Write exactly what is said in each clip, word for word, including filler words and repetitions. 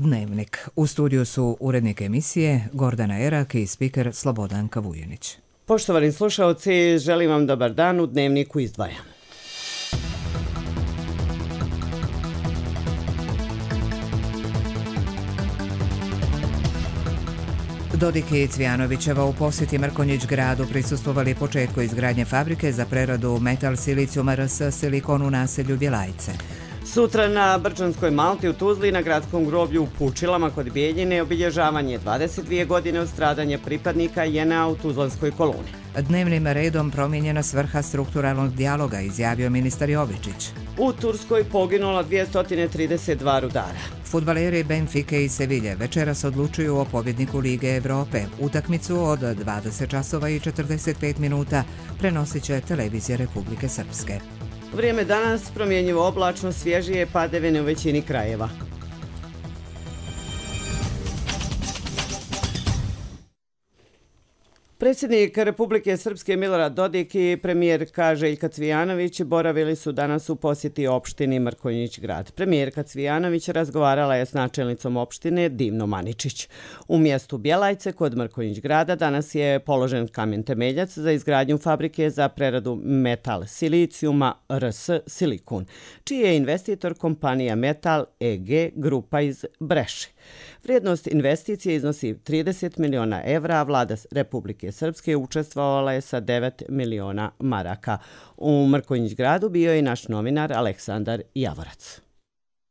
Dnevnik. U studiju su urednik emisije Gordana Erak i spiker Slobodanka Vujenić. Poštovani slušaoci, želim vam dobar dan, u Dnevniku izdvajam. Dodik i Cvijanovićeva u posjeti Mrkonjić gradu prisustvovali početku izgradnje fabrike za preradu metal silicijuma R S Silikon u naselju Bjelajce. Sutra na Brčanskoj Malti u Tuzli na gradskom groblju u Pučilama kod Bijeljine obilježavanje dvadeset dvije godine od stradanja pripadnika J N A u Tuzlanskoj koloni. Dnevnim redom promijenjena svrha strukturalnog dijaloga, izjavio ministar Jovičić. U Turskoj poginula dvjesto trideset dva rudara. Fudbaleri Benfike i Sevilje večeras odlučuju o pobjedniku Lige Evrope. Utakmicu od dvadeset časova i četrdeset pet minuta prenosit će televizija Republike Srpske. Vrijeme danas promjenjivo oblačno, svježije padavine u većini krajeva. Predsjednik Republike Srpske Milorad Dodik i premijerka Željka Cvijanović boravili su danas u posjeti opštini Mrkonjić grad. Premijerka Cvijanović razgovarala je s načelnicom opštine Divnom Aničić. U mjestu Bjelajce kod Mrkonjić grada danas je položen kamen temeljac za izgradnju fabrike za preradu metal silicijuma R S Silikon, čiji je investitor kompanija Metal E G grupa iz Breše. Vrijednost investicije iznosi trideset miliona evra, a vlada Republike Srpske učestvovala je sa devet miliona maraka. U Mrkonjić gradu bio je i naš novinar Aleksandar Javorac.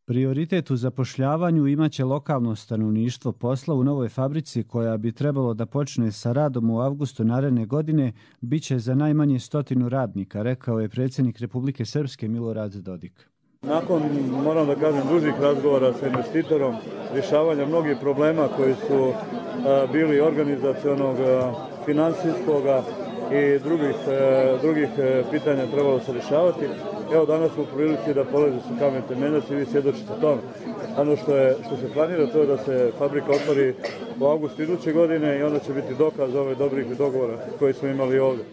Prioritet u zapošljavanju imaće lokalno stanovništvo. Posla u novoj fabrici, koja bi trebalo da počne sa radom u avgustu naredne godine, bit će za najmanje stotinu radnika, rekao je predsjednik Republike Srpske Milorad Dodik. Nakon, moram da kažem, dužih razgovora sa investitorom, rješavanja mnogih problema koji su a, bili organizacionog, finansijskog i drugih, a, drugih a, pitanja trebalo se rješavati. Evo danas smo u prilici da polože su kamen temeljac i vi svjedočite tome. Ono što, je, što se planira to je da se fabrika otvori u avgustu iduće godine i onda će biti dokaz ove dobrih dogovora koji smo imali ovdje.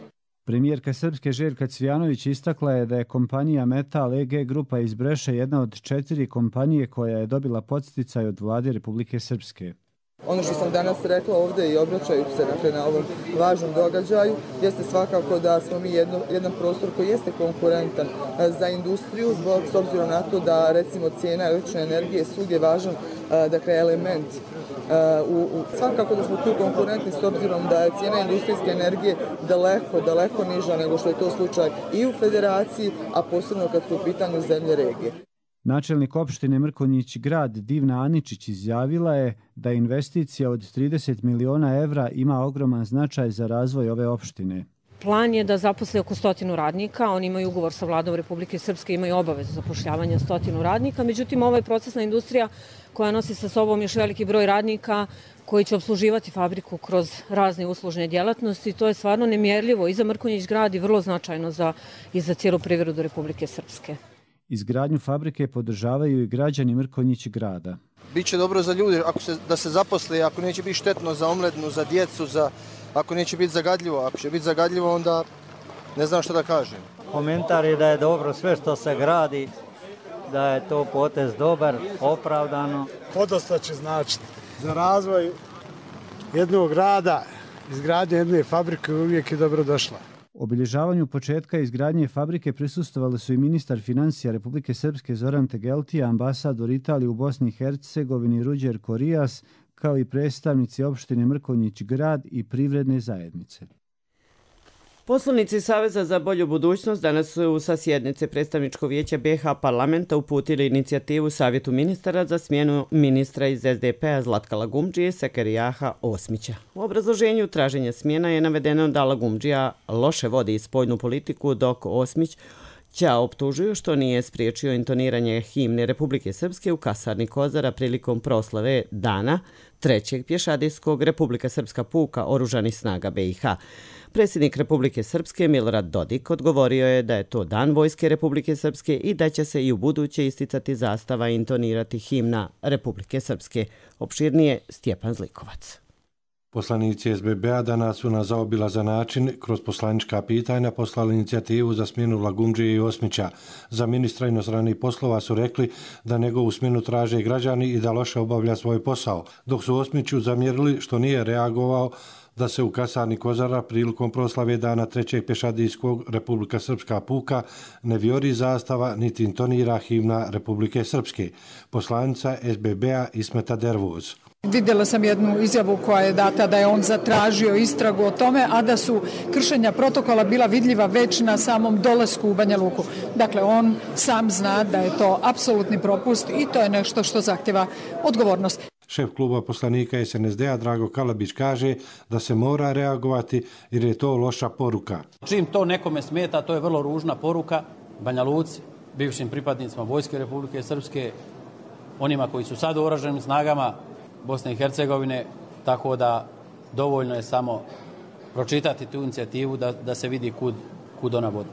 Premijerka Srpske Željka Cvijanović istakla je da je kompanija Metal E G grupa iz Breše jedna od četiri kompanije koja je dobila podsticaj od vlade Republike Srpske. Ono što sam danas rekla ovdje i obraćajući se dakle, na ovom važnom događaju jeste svakako da smo mi jedno, jedan prostor koji jeste konkurentan za industriju, zbog, s obzirom na to da recimo cijena električne energije je svugdje važan dakle, element. U, u, svakako da smo tu konkurentni s obzirom da je cijena industrijske energije daleko, daleko niža nego što je to slučaj i u federaciji, a posebno kad su u pitanju zemlje regije. Načelnik opštine Mrkonjić grad Divna Aničić izjavila je da investicija od trideset miliona evra ima ogroman značaj za razvoj ove opštine. Plan je da zaposle oko stotinu radnika, oni imaju ugovor sa vladom Republike Srpske, imaju obavezu zapošljavanja stotinu radnika, međutim ovo je procesna industrija koja nosi sa sobom još veliki broj radnika koji će obsluživati fabriku kroz razne uslužne djelatnosti. To je stvarno nemjerljivo i za Mrkonjić grad i vrlo značajno za, i za cijelu privredu Republike Srpske. Izgradnju fabrike podržavaju i građani Mrkonjić grada. Biće dobro za ljude ako se, da se zaposle, ako neće biti štetno za omladinu, za djecu, za, ako neće biti zagadljivo. Ako će biti zagadljivo, onda ne znam što da kažem. Komentar je da je dobro sve što se gradi, da je to potez dobar, opravdano. Podosta će značiti za razvoj jednog grada, izgradnja jedne fabrike uvijek je dobro došla. Obilježavanju početka izgradnje fabrike prisustvovali su i ministar financija Republike Srpske Zoran Tegeltija, ambasador Italije u Bosni i Hercegovini Ruđer Korijas, kao i predstavnici opštine Mrkonjić grad i privredne zajednice. Poslanici Saveza za bolju budućnost danas su sa sjednice predstavničkog vijeća B iH parlamenta uputili inicijativu Savjetu ministara za smjenu ministra iz S D P-a Zlatka Lagumdžije Sekerijaha Osmića. U obrazloženju traženja smjena je navedeno da Lagumdžija loše vodi spoljnu politiku, dok Osmić Ća optužuju što nije spriječio intoniranje himne Republike Srpske u kasarni Kozara prilikom proslave dana trećeg pješadijskog Republika Srpska puka oružanih snaga B iH. Predsjednik Republike Srpske Milorad Dodik odgovorio je da je to dan Vojske Republike Srpske i da će se i u buduće isticati zastava i intonirati himna Republike Srpske. Opširnije Stjepan Zlikovac. Poslanici S B B-a danas su na zaobilazan način kroz poslanička pitanja poslali inicijativu za smjenu Lagumdžije i Osmića. Za ministra inostranih poslova su rekli da njegovu smjenu traže građani i da loše obavlja svoj posao, dok su Osmiću zamjerili što nije reagovao da se u kasarni Kozara prilikom proslave dana trećeg pješadijskog Republika Srpska puka ne vijori zastava niti intonira himna Republike Srpske. Poslanica S B B-a Ismeta Dervoz. Vidjela sam jednu izjavu koja je data da je on zatražio istragu o tome, a da su kršenja protokola bila vidljiva već na samom dolasku u Banja Luku. Dakle, on sam zna da je to apsolutni propust i to je nešto što zahtjeva odgovornost. Šef kluba poslanika S N S D-a Drago Kalabić kaže da se mora reagovati jer je to loša poruka. Čim to nekome smeta, to je vrlo ružna poruka Banja Luci, bivšim pripadnicima Vojske Republike Srpske, onima koji su sad u oružanim snagama Bosne i Hercegovine, tako da dovoljno je samo pročitati tu inicijativu da, da se vidi kud, kud ona vodi.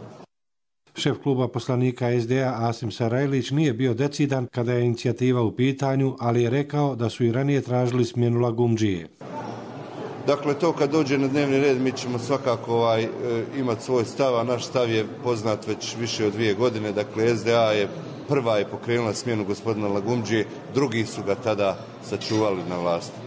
Šef kluba poslanika S D A Asim Sarajlić nije bio decidan kada je inicijativa u pitanju, ali je rekao da su i ranije tražili smjenu Lagumdžije. Dakle, to kad dođe na dnevni red mi ćemo svakako ovaj, imati svoj stav, a naš stav je poznat već više od dvije godine. Dakle, S D A je prva je pokrenula smjenu gospodina Lagumdžije, drugi su ga tada sačuvali na vlasti.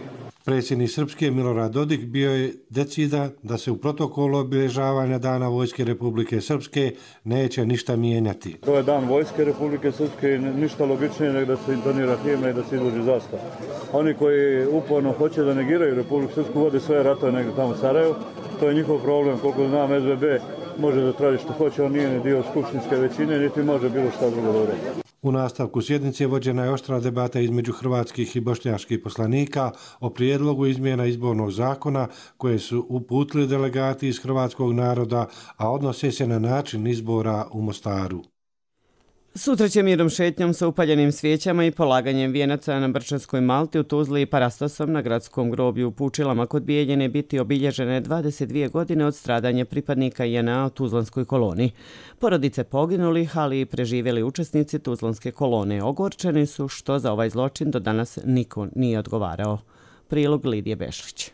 Predsjednik Srpske Milorad Dodik bio je decidan da se u protokolu obilježavanja Dana Vojske Republike Srpske neće ništa mijenjati. To je Dan Vojske Republike Srpske i ništa logičnije nego da se intonira himna i da se izloži zastava. Oni koji uporno hoće da negiraju Republiku Srpsku vode svoje ratove negdje tamo u Sarajevu, to je njihov problem. Koliko znam, S B B može da traži što hoće, on nije ni dio skupštinske većine, niti može bilo šta drugo da uredi. U nastavku sjednice vođena je oštra debata između hrvatskih i bošnjačkih poslanika o prijedlogu izmjena izbornog zakona koje su uputili delegati iz hrvatskog naroda, a odnose se na način izbora u Mostaru. Sutra će mirom šetnjom sa upaljenim svijećama i polaganjem vijenaca na Brčanskoj Malti u Tuzli i parastosom na gradskom groblju u Pučilama kod Bijeljine biti obilježene dvadeset dvije godine od stradanja pripadnika J N A u Tuzlanskoj koloni. Porodice poginulih, ali i preživjeli učesnici Tuzlanske kolone ogorčeni su što za ovaj zločin do danas niko nije odgovarao. Prilog Lidije Bešlić.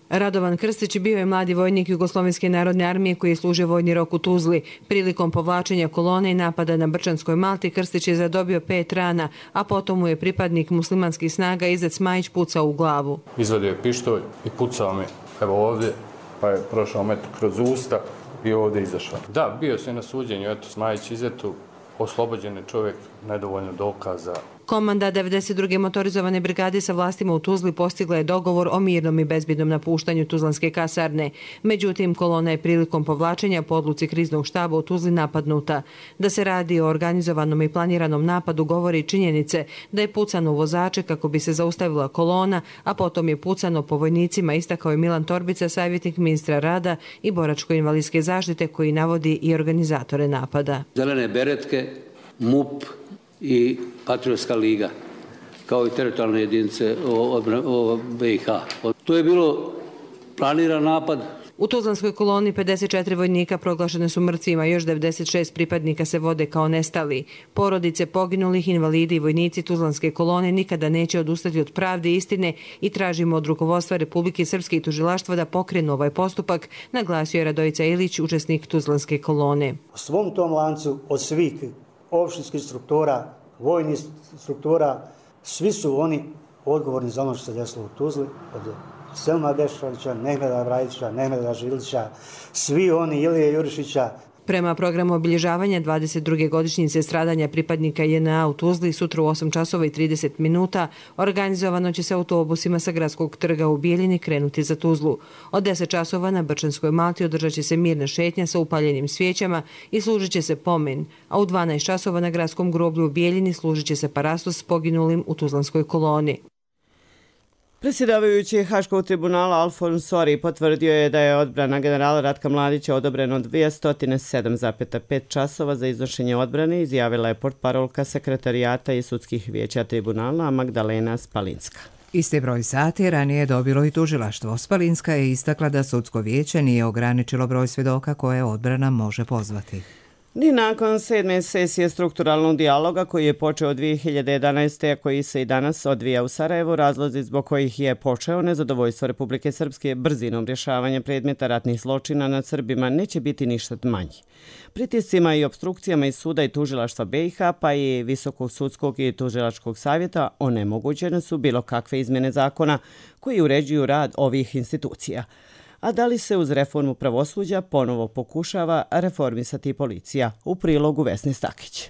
Radovan Krstić bio je mladi vojnik Jugoslovenske narodne armije koji je služio vojni rok u Tuzli. Prilikom povlačenja kolone i napada na Brčanskoj Malti Krstić je zadobio pet rana, a potom mu je pripadnik muslimanskih snaga Izet Smajić pucao u glavu. Izvadio je pištolj i pucao me evo ovdje, pa je prošao metar kroz usta i ovdje izašao. Da, bio se na suđenju, eto Smajić Izetu, oslobođen je čovjek, nedovoljno dokaza. Komanda devedeset druge motorizovane brigade sa vlastima u Tuzli postigla je dogovor o mirnom i bezbjednom napuštanju Tuzlanske kasarne. Međutim, kolona je prilikom povlačenja po odluci kriznog štaba u Tuzli napadnuta. Da se radi o organizovanom i planiranom napadu govori činjenice da je pucano u vozače kako bi se zaustavila kolona, a potom je pucano po vojnicima, istakao je Milan Torbica, savjetnik ministra rada i boračko-invalidske zaštite koji navodi i organizatore napada. Zelene beretke, M U P i Patriotska liga, kao i teritorijalne jedinice B i H. To je bilo planiran napad. U Tuzlanskoj koloni pedeset četiri vojnika proglašene su mrtvima, još devedeset šest pripadnika se vode kao nestali. Porodice poginulih, invalidi i vojnici Tuzlanske kolone nikada neće odustati od pravde i istine i tražimo od rukovodstva Republike Srpske i tužilaštva da pokrenu ovaj postupak, naglasio je Radojica Ilić, učesnik Tuzlanske kolone. U svom tom lancu od svih opštinskih struktura, vojnih struktura, svi su oni odgovorni za ono što se desilo u Tuzli, od Selma Dešalića, Mehmeda Brajdića, Mehmeda Žilića, svi oni Ilije Jurišića. Prema programu obilježavanja dvadeset druge godišnjice stradanja pripadnika J N A u Tuzli sutra u osam časova i trideset minuta organizovano će se autobusima sa gradskog trga u Bijeljini krenuti za Tuzlu. Od deset časova na Brčanskoj Malti održat će se mirna šetnja sa upaljenim svijećama i služit će se pomen, a u dvanaest časova na gradskom groblju u Bijeljini služit će se parastos s poginulim u Tuzlanskoj koloni. Predsjedavajući Haškog tribunala Alfons Sori potvrdio je da je odbrana generala Ratka Mladića odobreno dvjesto sedam zarez pet časova za iznošenje odbrane, izjavila je portparolka sekretarijata i sudskih vijeća tribunala Magdalena Spalinska. Isti broj sati ranije je dobilo i tužilaštvo. Spalinska je istakla da sudsko vijeće nije ograničilo broj svjedoka koje odbrana može pozvati. Ni nakon sedme sesije strukturalnog dijaloga koji je počeo dvije hiljade jedanaeste. a koji se i danas odvija u Sarajevu, razlozi zbog kojih je počeo nezadovoljstvo Republike Srpske brzinom rješavanja predmeta ratnih zločina nad Srbima neće biti ništa manji. Pritiscima i obstrukcijama iz suda i tužilaštva B i H pa i Visokog sudskog i tužilačkog savjeta onemogućene su bilo kakve izmjene zakona koji uređuju rad ovih institucija. A da li se uz reformu pravosuđa ponovo pokušava reformisati policija? U prilogu Vesne Stakić.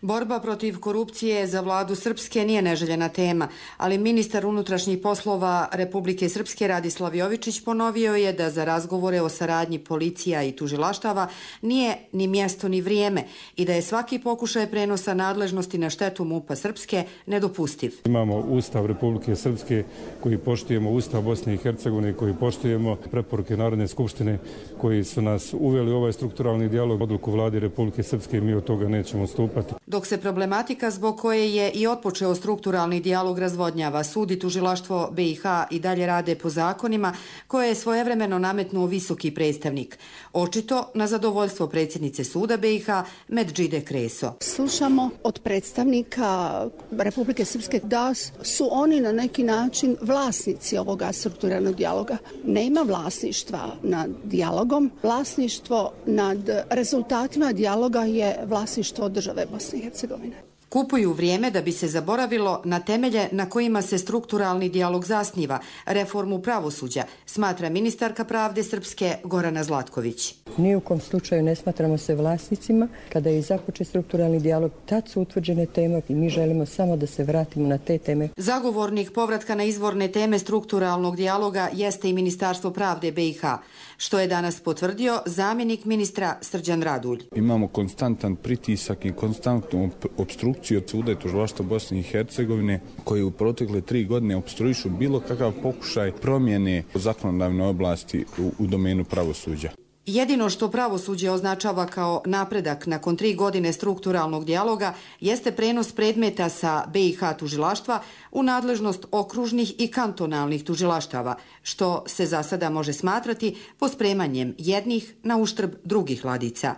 Borba protiv korupcije za vladu Srpske nije neželjena tema, ali ministar unutrašnjih poslova Republike Srpske Radislav Jovičić ponovio je da za razgovore o saradnji policija i tužilaštava nije ni mjesto ni vrijeme i da je svaki pokušaj prenosa nadležnosti na štetu MUP-a Srpske nedopustiv. Imamo Ustav Republike Srpske koji poštujemo, Ustav Bosne i Hercegovine koji poštujemo, preporuke Narodne skupštine koji su nas uveli u ovaj strukturalni dijalog, odluku vlade Republike Srpske i mi od toga nećemo odstupati. Dok se problematika zbog koje je i otpočeo strukturalni dijalog razvodnjava, sud i tužilaštvo B i H i dalje rade po zakonima koje je svojevremeno nametnuo visoki predstavnik. Očito na zadovoljstvo predsjednice suda B i H Medžide Kreso. Slušamo od predstavnika Republike Srpske da su oni na neki način vlasnici ovoga strukturalnog dijaloga. Nema vlasništva nad dijalogom. Vlasništvo nad rezultatima dijaloga je vlasništvo države Bosne i Hercegovine. Kupuju vrijeme da bi se zaboravilo na temelje na kojima se strukturalni dijalog zasniva, reformu pravosuđa, smatra ministarka pravde Srpske Gorana Zlatković. Ni u kom slučaju ne smatramo se vlasnicima. Kada je započet strukturalni dijalog, tad su utvrđene teme i mi želimo samo da se vratimo na te teme. Zagovornik povratka na izvorne teme strukturalnog dijaloga jeste i Ministarstvo pravde B i H, što je danas potvrdio zamjenik ministra Srđan Radulj. Imamo konstantan pritisak i konstantnu obstrukciju od suda i tužilaštva Bosne i Hercegovine koji u protekle tri godine opstruišu bilo kakav pokušaj promjene u zakonodavnoj oblasti u, u domenu pravosuđa. Jedino što pravosuđe označava kao napredak nakon tri godine strukturalnog dijaloga jeste prenos predmeta sa B i H tužilaštva u nadležnost okružnih i kantonalnih tužilaštava, što se za sada može smatrati pospremanjem jednih na uštrb drugih ladica.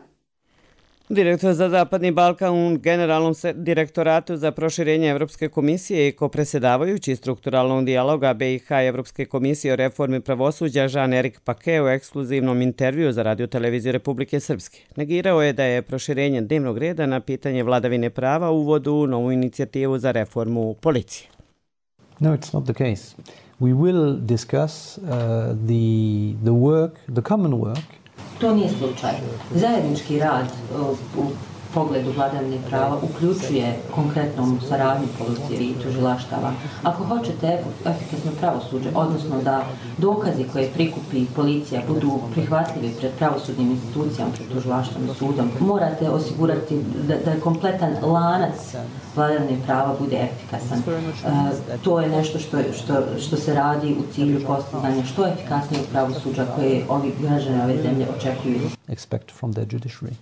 Direktor za Zapadni Balkan u Generalnom direktoratu za proširenje Evropske komisije i kopredsjedavajući strukturalnog dijaloga B i H i Evropske komisije o reformi pravosuđa Jean-Éric Paquet u ekskluzivnom intervju za radioteleviziju Republike Srpske negirao je da je proširenje dnevnog reda na pitanje vladavine prava uvod u novu inicijativu za reformu policije. No, it's not the case. We will discuss uh, the, the work, the common work. To nije slučaj. Zajednički rad u pogledu vladavine prava uključuje konkretnom saradnju policije i tužilaštava. Ako hoćete efikasno pravosuđe, odnosno da dokazi koje prikupi policija budu prihvatljivi pred pravosudnim institucijama, pred tužilaštvom i sudom, morate osigurati da, da kompletan lanac vladavine prava bude efikasan. E, to je nešto što, što, što se radi u cilju postizanja što efikasnijeg pravosuđa koje ovi građani ove zemlje očekuju. Expect from their judiciary.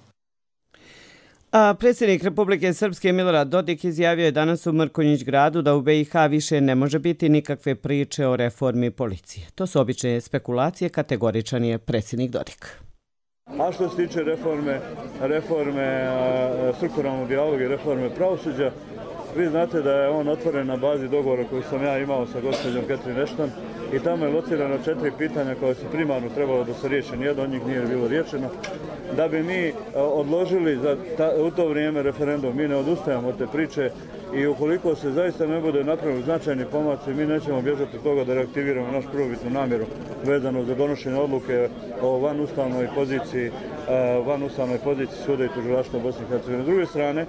A predsjednik Republike Srpske Milorad Dodik izjavio je danas u Mrkonjić gradu da u B i H više ne može biti nikakve priče o reformi policije. To su obične spekulacije, kategoričan je predsjednik Dodik. A što se tiče reforme, reforme strukturalnog dijaloga i reforme pravosuđa, vi znate da je on otvoren na bazi dogovora koji sam ja imao sa gospođom Catherine Ashton i tamo je locirano četiri pitanja koje su primarno trebalo da se riješe, nijedno od njih nije bilo riješeno. Da bi mi odložili za ta, u to vrijeme referendum, mi ne odustajamo od te priče i ukoliko se zaista ne bude napravili značajni pomaci, mi nećemo bježati od toga da reaktiviramo našu prvobitnu namjeru vezano za donošenje odluke o vanustavnoj poziciji, vanustavnoj poziciji suda i tužilaštva Bosne i Hercegovine. S druge strane,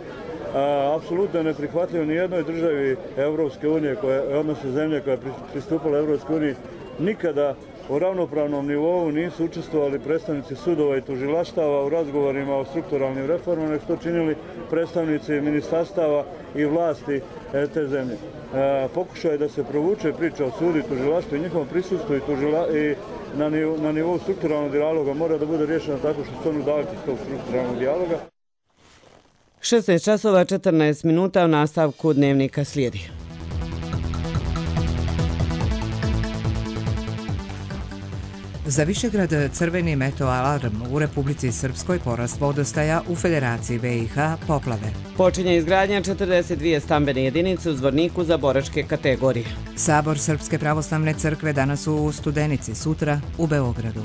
apsolutno je neprihvatljivo ni jednoj državi Evropske unije, odnosno zemlje koja je pristupala Evropskoj uniji, nikada u ravnopravnom nivou nisu učestvovali predstavnici sudova i tužilaštava u razgovorima o strukturalnim reformama, nego što činili predstavnici ministarstava i vlasti te zemlje. Pokušaj da se provuče priča o sudu i tužilaštvu i njihovom prisustvu i, tužila, i na, nivou, na nivou strukturalnog dijaloga mora da bude riješeno tako što se onu davati iz tog strukturalnog dijaloga. šesnaest časova četrnaest minuta u nastavku dnevnika slijedi. Za Višegrad crveni meto alarm, u Republici Srpskoj porast vodostaja, u Federaciji B i H poplave. Počinje izgradnja četrdeset dvije stambene jedinice u Zvorniku za boračke kategorije. Sabor Srpske pravoslavne crkve danas u Studenici, sutra u Beogradu.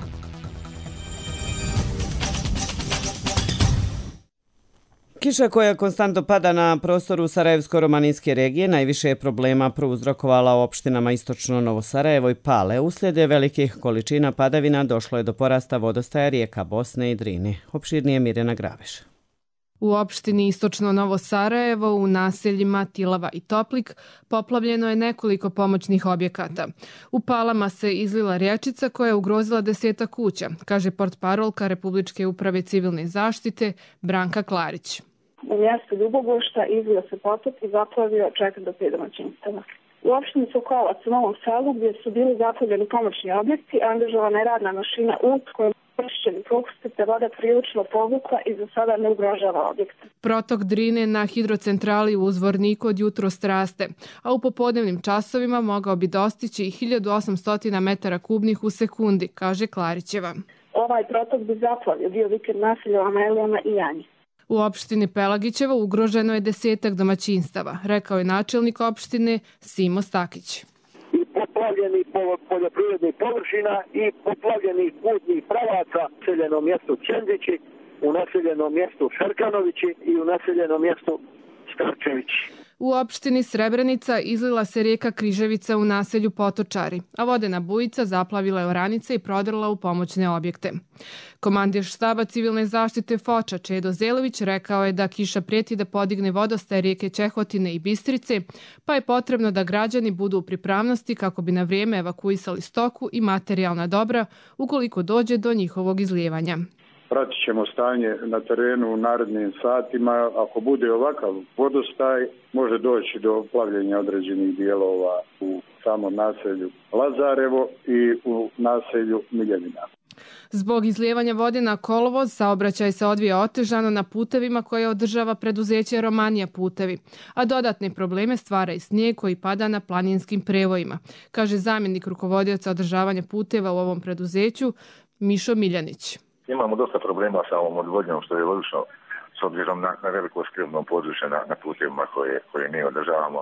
Kiša koja konstantno pada na prostoru Sarajevsko-romaninske regije najviše je problema prouzrokovala u opštinama Istočno Novo Sarajevo i Pale. Uslijed velikih količina padavina došlo je do porasta vodostaja rijeka Bosne i Drine. Opširnije Mirjana Graveš. U opštini Istočno Novo Sarajevo u naseljima Tilava i Toplik poplavljeno je nekoliko pomoćnih objekata. U Palama se izlila rječica koja je ugrozila deseta kuća, kaže portparolka Republičke uprave civilne zaštite Branka Klarić. U mjestu Ljubogošta izlio se potok i zaplavio četiri do pet domaćinstava. U opštini Sokolac u Novom Selu gdje su bili zaplavljeni pomoćni objekti, angažovana je radna mašina U kojom pročišćeni propusti te voda prilično povukla i za sada ne ugrožava objekte. Protok Drine na hidrocentrali u Zvorniku od jutros raste, a u popodnevnim časovima mogao bi dostići i hiljadu osamsto metara kubnih u sekundi, kaže Klarićeva. Ovaj protok bi zaplavio dio vikend naselja u Amelijama i Janji. U opštini Pelagićeva ugroženo je desetak domaćinstava, rekao je načelnik opštine Simo Stakić. I poplavljeni poljoprivrednih površina i poplavljenih putnih pravaca u naseljenom mjestu Čendići, u naseljenom mjestu Šarkanovići i u naseljenom mjestu Starčevići. U opštini Srebrenica izlila se rijeka Križevica u naselju Potočari, a vodena bujica zaplavila je oranice i prodrla u pomoćne objekte. Komandir štaba civilne zaštite Foča Čedo Zelović rekao je da kiša prijeti da podigne vodostaj rijeke Čehotine i Bistrice, pa je potrebno da građani budu u pripravnosti kako bi na vrijeme evakuisali stoku i materijalna dobra ukoliko dođe do njihovog izlijevanja. Pratit ćemo stanje na terenu u narednim satima. Ako bude ovakav vodostaj, može doći do plavljenja određenih dijelova u samom naselju Lazarevo i u naselju Miljevina. Zbog izlijevanja vode na kolovoz, saobraćaj se odvija otežano na putevima koje održava preduzeće Romanija putevi, a dodatne probleme stvara i snijeg koji pada na planinskim prevojima, kaže zamjenik rukovodioca održavanja puteva u ovom preduzeću Mišo Miljanić. Imamo dosta problema sa ovom odvodnjom, što je logično s obzirom na, na veliko skrivno područje na, na putevima koje, koje mi održavamo,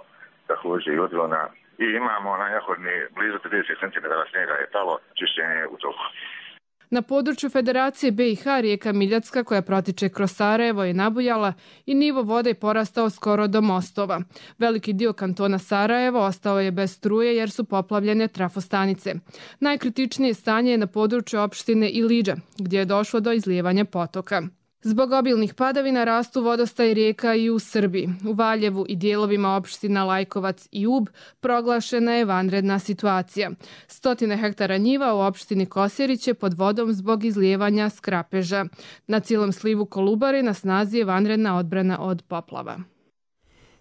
također i odlona. I imamo na Jahodni blizu trideset centimetara snijega je palo, čišćenje u toku. Na području Federacije B i H rijeka Miljacka koja protiče kroz Sarajevo je nabujala i nivo vode je porastao skoro do mostova. Veliki dio kantona Sarajevo ostao je bez struje jer su poplavljene trafostanice. Najkritičnije stanje je na području opštine Ilidža gdje je došlo do izlijevanja potoka. Zbog obilnih padavina rastu vodostaj rijeka i u Srbiji. U Valjevu i dijelovima opština Lajkovac i Ub proglašena je vanredna situacija. Stotine hektara njiva u opštini Kosjerić je pod vodom zbog izlijevanja skrapeža. Na cijelom slivu Kolubare na snazi je vanredna odbrana od poplava.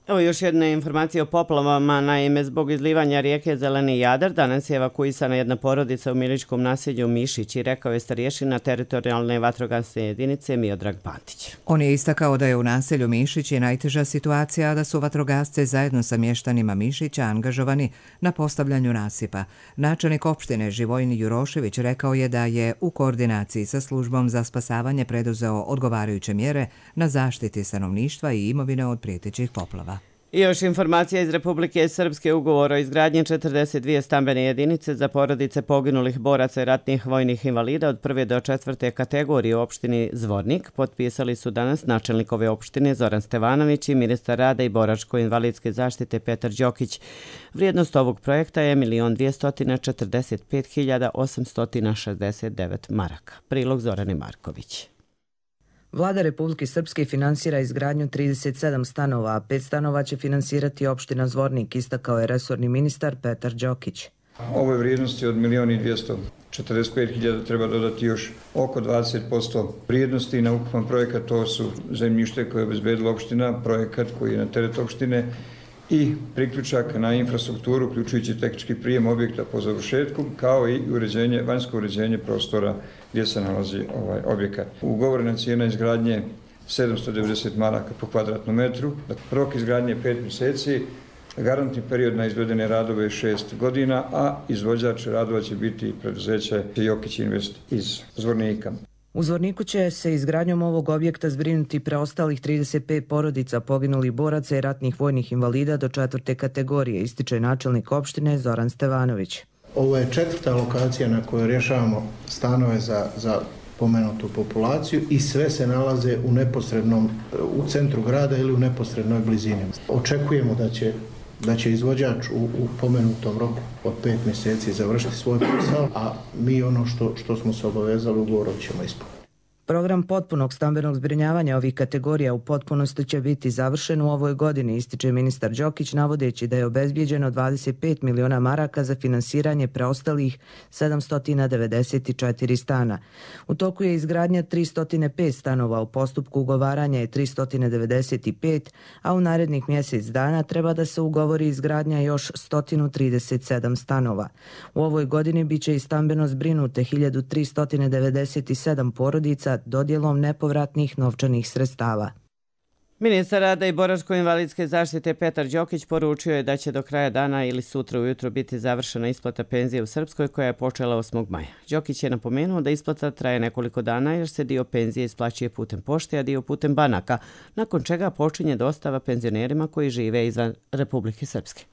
Evo još jedna informacija o poplavama. Naime, zbog izlivanja rijeke Zeleni Jadar danas je evakuisana jedna porodica u miličkom naselju Mišić i rekao je starješina teritorijalne vatrogasne jedinice Miodrag Pantić. On je istakao da je u naselju Mišić je najteža situacija, a da su vatrogasce zajedno sa mještanima Mišića angažovani na postavljanju nasipa. Načelnik opštine Živojin Jurošević rekao je da je u koordinaciji sa službom za spasavanje preduzeo odgovarajuće mjere na zaštiti stanovništva i imovine od prijetećih poplava. I još informacija iz Republike Srpske. Ugovor o izgradnji četrdeset dvije stambene jedinice za porodice poginulih boraca i ratnih vojnih invalida od prve do četvrte kategorije u opštini Zvornik potpisali su danas načelnik ove opštine Zoran Stevanović i ministar rada i boračko-invalidske zaštite Petar Đokić. Vrijednost ovog projekta je milion dvjesto četrdeset pet hiljada osamsto šezdeset devet maraka. Prilog Zorane Marković. Vlada Republike Srpske finansira izgradnju trideset sedam stanova, a pet stanova će finansirati opština Zvornik, istakao je resorni ministar Petar Đokić. Ove vrijednosti od milion dvjesto četrdeset pet hiljada treba dodati još oko dvadeset posto vrijednosti na ukupan projekat. To su zemljište koje je obezbedila opština, projekat koji je na teret opštine i priključak na infrastrukturu, uključujući tehnički prijem objekta po završetku, kao i uređenje, vanjsko uređenje prostora gdje se nalazi ovaj objekat. Ugovorena cijena izgradnje sedamsto devedeset maraka po kvadratnom metru, rok izgradnje je pet mjeseci, Garantni period na izvedene radove je šest godina, a izvođač radova će biti preduzeće Jokić Invest iz Zvornika. U Zvorniku će se izgradnjom ovog objekta zbrinuti preostalih trideset pet porodica poginulih boraca i ratnih vojnih invalida do četvrte kategorije, ističe načelnik opštine Zoran Stevanović. Ovo je četvrta lokacija na kojoj rješavamo stanove za, za pomenutu populaciju i sve se nalaze u neposrednom, u centru grada ili u neposrednoj blizini. Očekujemo da će da će izvođač u, u pomenutom roku od pet mjeseci završiti svoj posao, a mi ono što, što smo se obavezali ugovorom ćemo ispuniti. Program potpunog stambenog zbrinjavanja ovih kategorija u potpunosti će biti završen u ovoj godini, ističe ministar Đokić, navodeći da je obezbijeđeno dvadeset pet miliona maraka za finansiranje preostalih sedamsto devedeset četiri stana. U toku je izgradnja tristo pet stanova, u postupku ugovaranja je tristo devedeset pet, a u narednih mjesec dana treba da se ugovori izgradnja još sto trideset sedam stanova. U ovoj godini biće i stambeno zbrinute hiljadu tristo devedeset sedam porodica dodjelom nepovratnih novčanih sredstava. Ministar rada i boračko-invalidske zaštite Petar Đokić poručio je da će do kraja dana ili sutra ujutro biti završena isplata penzije u Srpskoj koja je počela osmog maja. Đokić je napomenuo da isplata traje nekoliko dana jer se dio penzije isplaćuje putem pošte, a dio putem banaka, nakon čega počinje dostava penzionerima koji žive izvan Republike Srpske.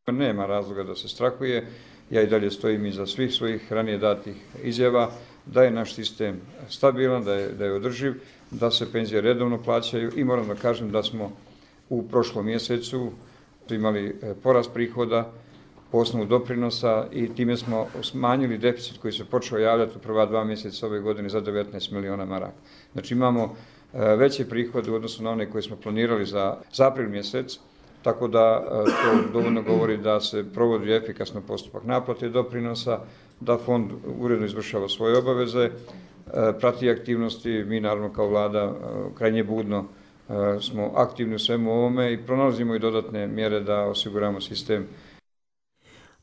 Nema razloga da se strahuje, ja i dalje stojim iza svih svojih ranije datih izjava, da je naš sistem stabilan, da je, da je održiv, da se penzije redovno plaćaju i moram da kažem da smo u prošlom mjesecu imali porast prihoda po osnovu doprinosa i time smo smanjili deficit koji se počeo javljati u prva dva mjeseca ove godine za devetnaest miliona maraka. Znači imamo veće prihode u odnosu na one koje smo planirali za, za april mjesec, tako da to dovoljno govori da se provodi efikasno postupak naplate doprinosa, da fond uredno izvršava svoje obaveze, prati aktivnosti, mi naravno kao vlada krajnje budno smo aktivni u svemu ovome i pronalazimo i dodatne mjere da osiguramo sistem.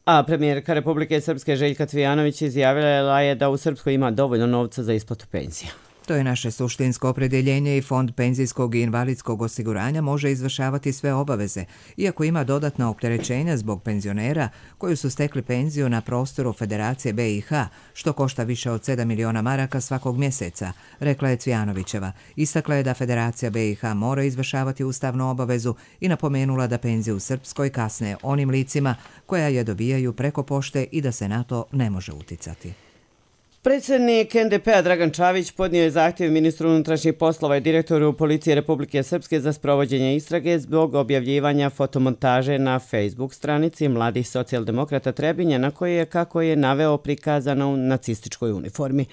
A premijerka Republike Srpske Željka Cvijanović izjavila je da u Srpskoj ima dovoljno novca za isplatu penzija. To je naše suštinsko opredjeljenje i Fond penzijskog i invalidskog osiguranja može izvršavati sve obaveze, iako ima dodatna opterećenja zbog penzionera koji su stekli penziju na prostoru Federacije B i H, što košta više od sedam miliona maraka svakog mjeseca, rekla je Cvijanovićeva. Istakla je da Federacija B i H mora izvršavati ustavnu obavezu i napomenula da penzije u Srpskoj kasne onim licima koja je dobijaju preko pošte i da se na to ne može uticati. Predsjednik N D P-a Dragan Čavić podnio je zahtjev ministru unutrašnjih poslova i direktoru Policije Republike Srpske za sprovođenje istrage zbog objavljivanja fotomontaže na Facebook stranici Mladih socijaldemokrata Trebinja na kojoj je, kako je naveo, prikazano u nacističkoj uniformi.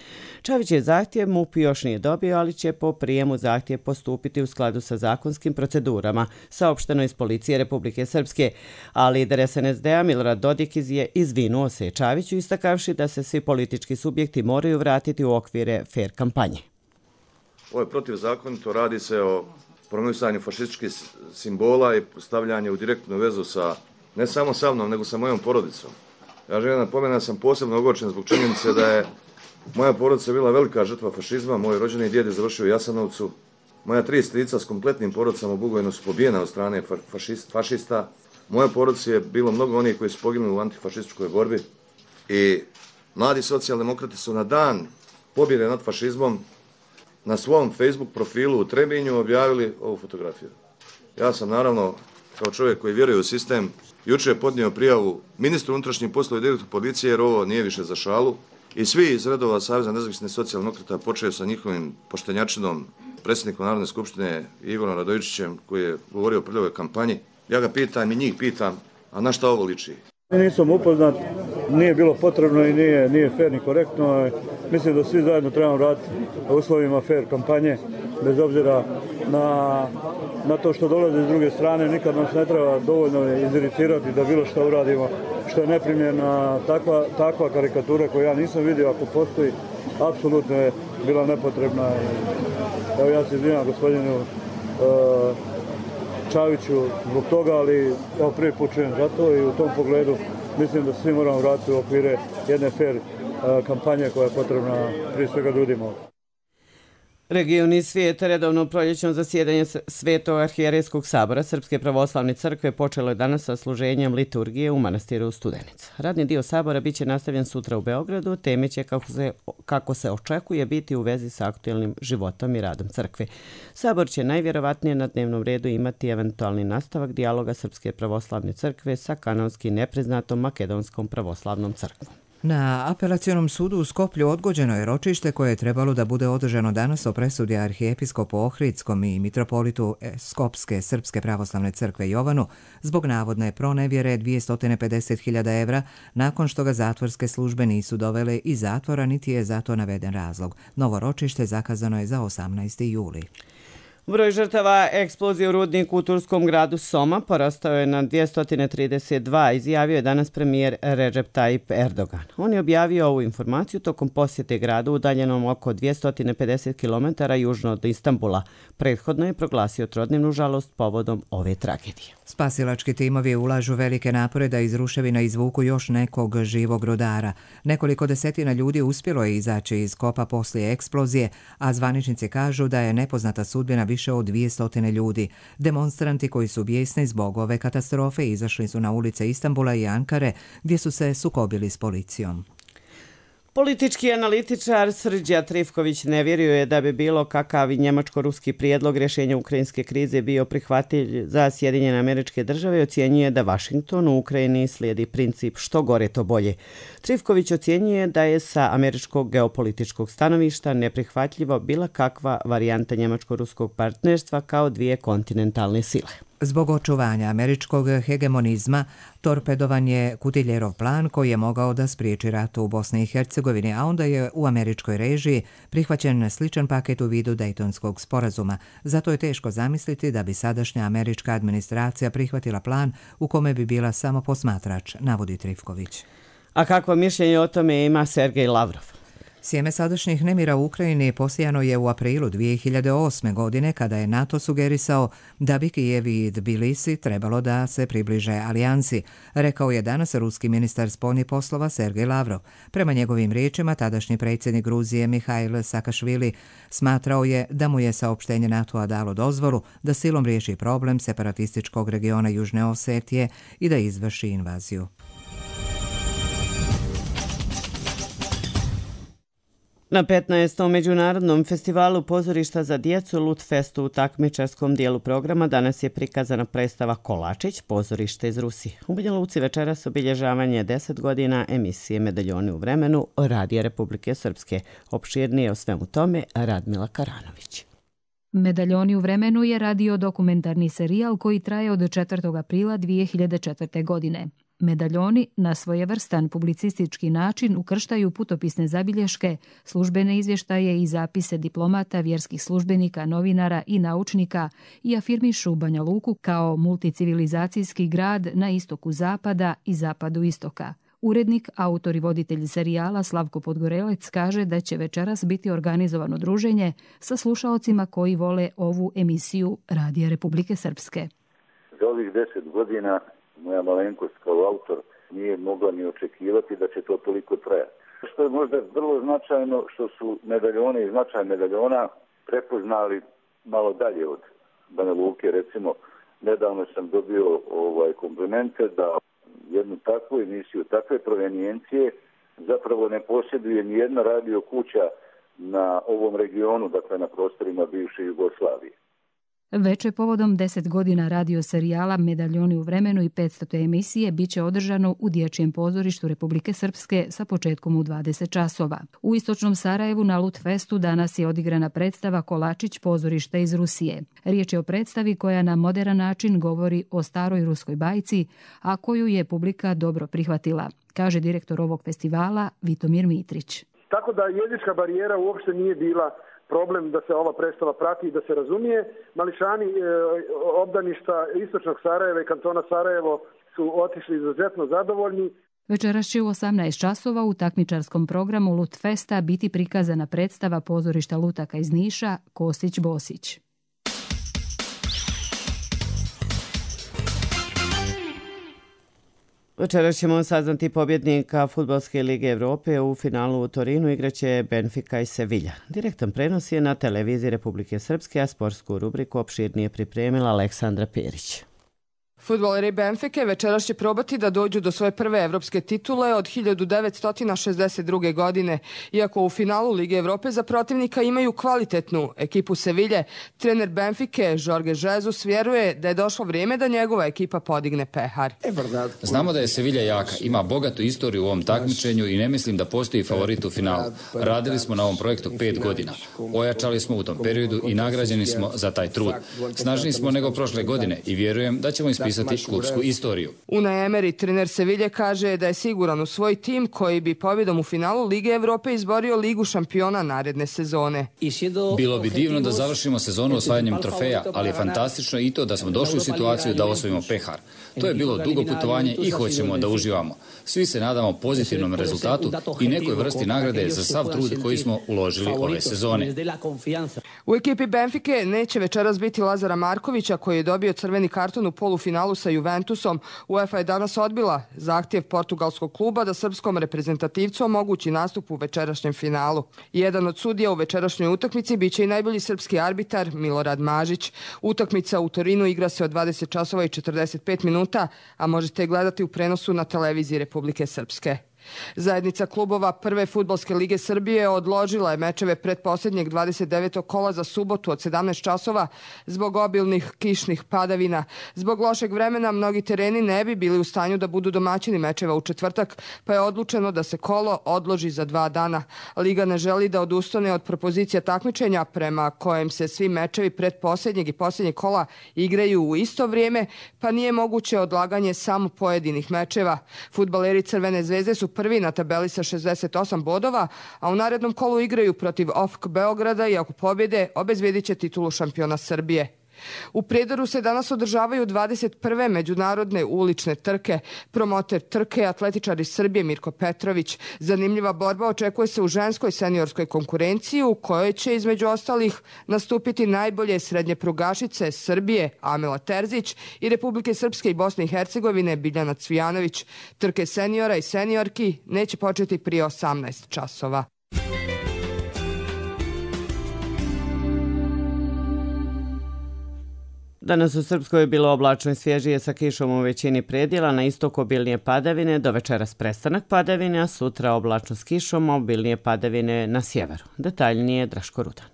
Čavić je zahtjev M U P još nije dobio, ali će po prijemu zahtjev postupiti u skladu sa zakonskim procedurama, saopšteno iz Policije Republike Srpske, a lider S N S D-a Milorad Dodik je izvinuo se Čaviću istakavši da se svi politički subjekti moraju vratiti u okvire fair kampanje. Ovo je protivzakonito, radi se o promovisanju fašističkih simbola i stavljanju u direktnu vezu sa, ne samo sa mnom, nego sa mojom porodicom. Ja želim napomenuti da sam posebno ogorčen zbog činjenice da je moja porodica bila velika žrtva fašizma, moj rođeni djed je završio u Jasenovcu, moja tri strica s kompletnim porodicama u Bugojnu su pobijena od strane fašist, fašista, moja porodica je bilo mnogo onih koji su poginuli u antifašističkoj borbi i Mladi socijaldemokrati su na dan pobjede nad fašizmom na svom Facebook profilu u Trebinju objavili ovu fotografiju. Ja sam naravno, kao čovjek koji vjeruje u sistem, jučer podnio prijavu ministru unutrašnjih poslova i direktoru policije jer ovo nije više za šalu i svi iz redova Saveza nezavisnih socijaldemokrata počeo sa njihovim poštenjačinom, predsjednikom Narodne skupštine Igorom Radojičićem koji je govorio o prljavoj kampanji. Ja ga pitam i njih pitam, a na šta ovo liči? Nisam upoznat, nije bilo potrebno i nije, nije fair ni korektno. Mislim da svi zajedno trebamo raditi u uslovima fair kampanje, bez obzira na, na to što dolazi s druge strane. Nikad nas ne treba dovoljno iziritirati da bilo što uradimo, što je neprimjerna takva, takva karikatura koju ja nisam vidio, ako postoji, apsolutno je bila nepotrebna. Evo ja se izvinjam gospodinu uh, Čaviću zbog toga, ali evo prvi put čujem za to i u tom pogledu mislim da svi moramo vratiti u okvire jedne fair kampanje koja je potrebna prije svega ljudima. Region i svijet redovno proljećno zasjedanje Svetog arhijerejskog sabora Srpske pravoslavne crkve počelo je danas sa služenjem liturgije u manastiru Studenica. Radni dio sabora biće nastavljen sutra u Beogradu, teme će kako se, kako se očekuje biti u vezi sa aktuelnim životom i radom crkve. Sabor će najvjerovatnije na dnevnom redu imati eventualni nastavak dijaloga Srpske pravoslavne crkve sa kanonski nepriznatom Makedonskom pravoslavnom crkvom. Na apelacionom sudu u Skoplju odgođeno je ročište koje je trebalo da bude održano danas o presudi arhijepiskopu Ohridskom i mitropolitu Skopske Srpske pravoslavne crkve Jovanu zbog navodne pronevjere dvjesto pedeset hiljada evra nakon što ga zatvorske službe nisu dovele iz zatvora niti je za to naveden razlog. Novo ročište zakazano je za osamnaesti juli. Broj žrtava eksplozije u rudniku u turskom gradu Soma porastao je na dvjesto trideset dva, izjavio je danas premijer Recep Tayyip Erdogan. On je objavio ovu informaciju tokom posjete gradu udaljenom oko dvjesto pedeset kilometara južno od Istanbula. Prethodno je proglasio trodnevnu žalost povodom ove tragedije. Spasilački timovi ulažu velike napore da iz ruševina izvuku još nekog živog rodara. Nekoliko desetina ljudi uspjelo je izaći iz kopa poslije eksplozije, a zvaničnici kažu da je nepoznata sudbina više od dvjesto ljudi. Demonstranti koji su bijesni zbog ove katastrofe izašli su na ulice Istanbula i Ankare, gdje su se sukobili s policijom. Politički analitičar Srđa Trifković ne vjeruje da bi bilo kakav i njemačko-ruski prijedlog rješenja ukrajinske krize bio prihvatljiv za Sjedinjene Američke Države i ocjenjuje da Vašington u Ukrajini slijedi princip što gore to bolje. Trifković ocjenjuje da je sa američkog geopolitičkog stanovišta neprihvatljivo bila kakva varijanta njemačko-ruskog partnerstva kao dvije kontinentalne sile. Zbog očuvanja američkog hegemonizma, torpedovan je Kutiljerov plan koji je mogao da spriječi rat u Bosni i Hercegovini, a onda je u američkoj režiji prihvaćen sličan paket u vidu Dejtonskog sporazuma. Zato je teško zamisliti da bi sadašnja američka administracija prihvatila plan u kome bi bila samo posmatrač, navodi Trifković. A kakvo mišljenje o tome ima Sergej Lavrov? Sjeme sadašnjih nemira u Ukrajini posijano je u aprilu dvije hiljade osme. godine kada je NATO sugerisao da bi Kijev i Tbilisi trebalo da se približe alijansi, rekao je danas ruski ministar spoljnih poslova Sergej Lavrov. Prema njegovim riječima, tadašnji predsjednik Gruzije Mihail Saakašvili smatrao je da mu je saopštenje NATO-a dalo dozvolu da silom riješi problem separatističkog regiona Južne Osetije i da izvrši invaziju. Na petnaestom međunarodnom festivalu pozorišta za djecu Lutfestu u takmičarskom dijelu programa danas je prikazana predstava Kolačić, pozorište iz Rusije. U Banja Luci večeras obilježavanje deset godina emisije Medaljoni u vremenu Radija Republike Srpske. Opširnije o svemu tome Radmila Karanović. Medaljoni u vremenu je radio dokumentarni serijal koji traje od četvrtog aprila dvije hiljade četvrte. godine. Medaljoni na svojevrstan publicistički način ukrštaju putopisne zabilješke, službene izvještaje i zapise diplomata, vjerskih službenika, novinara i naučnika i afirmišu Banja Luku kao multicivilizacijski grad na istoku zapada i zapadu istoka. Urednik, autor i voditelj serijala Slavko Podgorelec kaže da će večeras biti organizovano druženje sa slušaocima koji vole ovu emisiju Radija Republike Srpske. Za ovih deset godina moja malenkost kao autor nije mogla ni očekivati da će to toliko trajati. Što je možda vrlo značajno, što su medaljone i značaj medaljona prepoznali malo dalje od Banja Luke. Recimo, nedavno sam dobio ovaj komplimente da jednu takvu emisiju, takve provenijencije zapravo ne posjeduje ni jedna radio kuća na ovom regionu, dakle na prostorima bivše Jugoslavije. Veče povodom deset godina radio serijala Medaljoni u vremenu i petstote emisije biće održano u Dječjem pozorištu Republike Srpske sa početkom u dvadeset časova. U istočnom Sarajevu na Lutfestu danas je odigrana predstava Kolačić, pozorište iz Rusije. Riječ je o predstavi koja na moderan način govori o staroj ruskoj bajci, a koju je publika dobro prihvatila, kaže direktor ovog festivala Vitomir Mitrić. Tako da jezička barijera uopšte nije bila problem da se ova predstava prati i da se razumije. Mališani e, obdaništa istočnog Sarajeva i kantona Sarajevo su otišli izuzetno zadovoljni. Večeras će u osamnaest časova u takmičarskom programu Lutfesta biti prikazana predstava pozorišta lutaka iz Niša Kosić Bosić. Večeras ćemo saznati pobjednika Fudbalske lige Evrope. U finalu u Torinu igraće Benfica i Sevilla. Direktan prenos je na televiziji Republike Srpske, a sportsku rubriku opširnije pripremila Aleksandra Perić. Fudbaleri Benfike večeras će probati da dođu do svoje prve evropske titule od hiljadu devetsto šezdeset druge. godine. Iako u finalu Lige Evrope za protivnika imaju kvalitetnu ekipu Sevilje, trener Benfike Jorge Jesus vjeruje da je došlo vrijeme da njegova ekipa podigne pehar. Znamo da je Sevilja jaka, ima bogatu istoriju u ovom takmičenju i ne mislim da postoji favorit u finalu. Radili smo na ovom projektu pet godina. Ojačali smo u tom periodu i nagrađeni smo za taj trud. Snažniji smo nego prošle godine i vjerujem da ćemo ispisati klubsku istoriju. Unai Emery, trener Sevilje, kaže da je siguran u svoj tim koji bi pobjedom u finalu Lige Evrope izborio Ligu šampiona naredne sezone. Bilo bi divno da završimo sezonu osvajanjem trofeja, ali je fantastično i to da smo došli u situaciju da osvojimo pehar. To je bilo dugo putovanje i hoćemo da uživamo. Svi se nadamo pozitivnom rezultatu i nekoj vrsti nagrade za sav trud koji smo uložili ove sezone. U ekipi Benfike neće večeras biti Lazara Markovića, koji je dobio crveni karton u polufinalu sa Juventusom. UEFA je danas odbila zahtjev portugalskog kluba da srpskom reprezentativcu omogući nastup u večerašnjem finalu. Jedan od sudija u večerašnjoj utakmici biće i najbolji srpski arbitar Milorad Mažić. Utakmica u Torinu igra se od dvadeset časova i četrdeset pet minuta, a možete gledati u prenosu na televiziji Republike Srpske. Zajednica klubova Prve fudbalske lige Srbije odložila je mečeve pretposljednjeg dvadeset devetog kola za subotu od sedamnaest časova zbog obilnih kišnih padavina. Zbog lošeg vremena mnogi tereni ne bi bili u stanju da budu domaćini mečeva u četvrtak, pa je odlučeno da se kolo odloži za dva dana. Liga ne želi da odustane od propozicija takmičenja prema kojem se svi mečevi pretposljednjeg i posljednjeg kola igraju u isto vrijeme, pa nije moguće odlaganje samo pojedinih mečeva. Fudbaleri Crvene zvezde su prvi na tabeli sa šezdeset osam bodova, a u narednom kolu igraju protiv O F K Beograda i ako pobjede, obezbjedit će titulu šampiona Srbije. U Prijedoru se danas održavaju dvadeset prve međunarodne ulične trke. Promoter trke, atletičar iz Srbije Mirko Petrović. Zanimljiva borba očekuje se u ženskoj seniorskoj konkurenciji u kojoj će između ostalih nastupiti najbolje srednje prugašice Srbije Amela Terzić i Republike Srpske i Bosne i Hercegovine Biljana Cvijanović. Trke seniora i seniorki neće početi prije osamnaest časova. Danas u Srpskoj je bilo oblačno i svježije sa kišom u većini predjela, na istoku obilnije padavine, do večeras prestanak padavine, a sutra oblačno s kišom, obilnije padavine na sjeveru. Detaljnije Draško Rudan.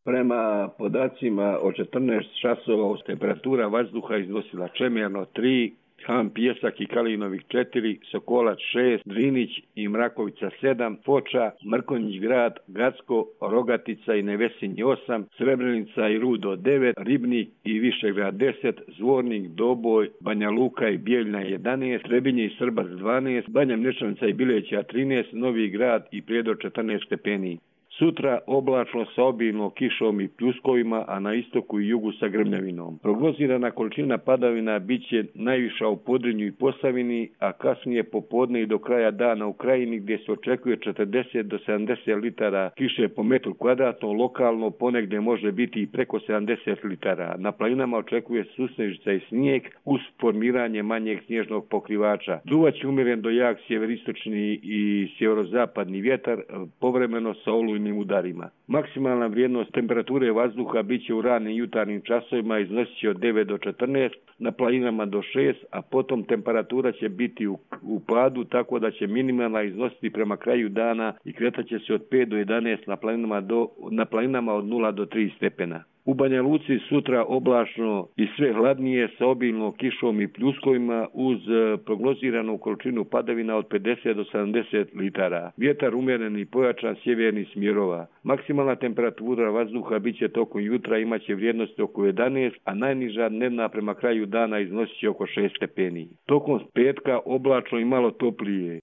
Prema podacima od četrnaest časova temperatura vazduha iznosila čemjerno tri, Han Pijesak i Kalinovih četiri, Sokolac šest, Drinić i Mrakovica sedam, Foča, Mrkonjić grad, Gacko, Rogatica i Nevesinji osam, Srebrenica i Rudo devet, Ribnik i Višegrad deset, Zvornik, Doboj, Banja Luka i Bijeljna jedanaest, Trebinje i Srbac dvanaest, Banja Mlječanica i Bileća trinaest, Novi grad i Prijedor četrnaest stepeni. Sutra oblačno sa obilnom kišom i pljuskovima, a na istoku i jugu sa grmljavinom. Prognozirana količina padavina bit će najviša u Podrinju i Posavini, a kasnije popodne i do kraja dana u Krajini, gdje se očekuje četrdeset do sedamdeset litara kiše po metru kvadratnom, lokalno ponegdje može biti i preko sedamdeset litara. Na planinama očekuje susnežica i snijeg uz formiranje manjeg snježnog pokrivača. Duvaće umjeren do jak sjeveristočni i sjeverozapadni vjetar, povremeno sa olujnim udarima. Maksimalna vrijednost temperature vazduha bit će u ranim jutarnjim časovima, iznosit će od devet do četrnaest, na planinama do šest, a potom temperatura će biti u, u padu, tako da će minimalna iznositi prema kraju dana i kretat će se od pet do jedanaest, na planinama, do, na planinama od nula do tri stepena. U Banja Luci sutra oblačno i sve hladnije sa obilnom kišom i pljuskovima uz prognoziranu količinu padavina od pedeset do sedamdeset litara. Vjetar umjeren i pojačan sjevernih smjerova. Maksimalna temperatura vazduha bit će tokom jutra, imaće vrijednosti oko jedanaest, a najniža dnevna prema kraju dana iznosit će oko šest stepeni. Tokom petka oblačno i malo toplije.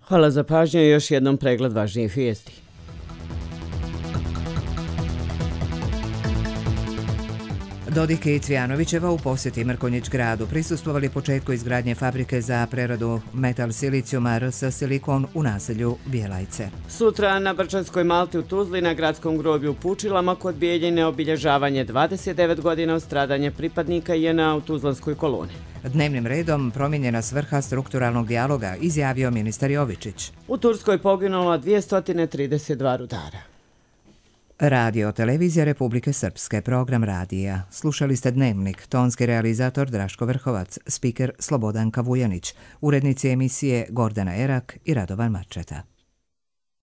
Hvala za pažnju i još jednom pregled važnijih vijesti. Dodik i Cvjanovićeva u posjeti Mrkonjić gradu prisustvovali početku izgradnje fabrike za preradu metal silicijuma R S Silikon u naselju Bjelajce. Sutra na Brčanskoj Malti u Tuzli na gradskom groblju u Pučilama kod Bijeljine obilježavanje dvadeset devet godina od stradanja pripadnika J N A u Tuzlanskoj koloni. Dnevnim redom promijenjena svrha strukturalnog dijaloga, izjavio ministar Jovičić. U Turskoj poginulo dvjesto trideset dva rudara. Radio Televizija Republike Srpske, program radija. Slušali ste Dnevnik, tonski realizator Draško Vrhovac, spiker Slobodanka Vujanić, urednici emisije Gordana Erak i Radovan Mačeta.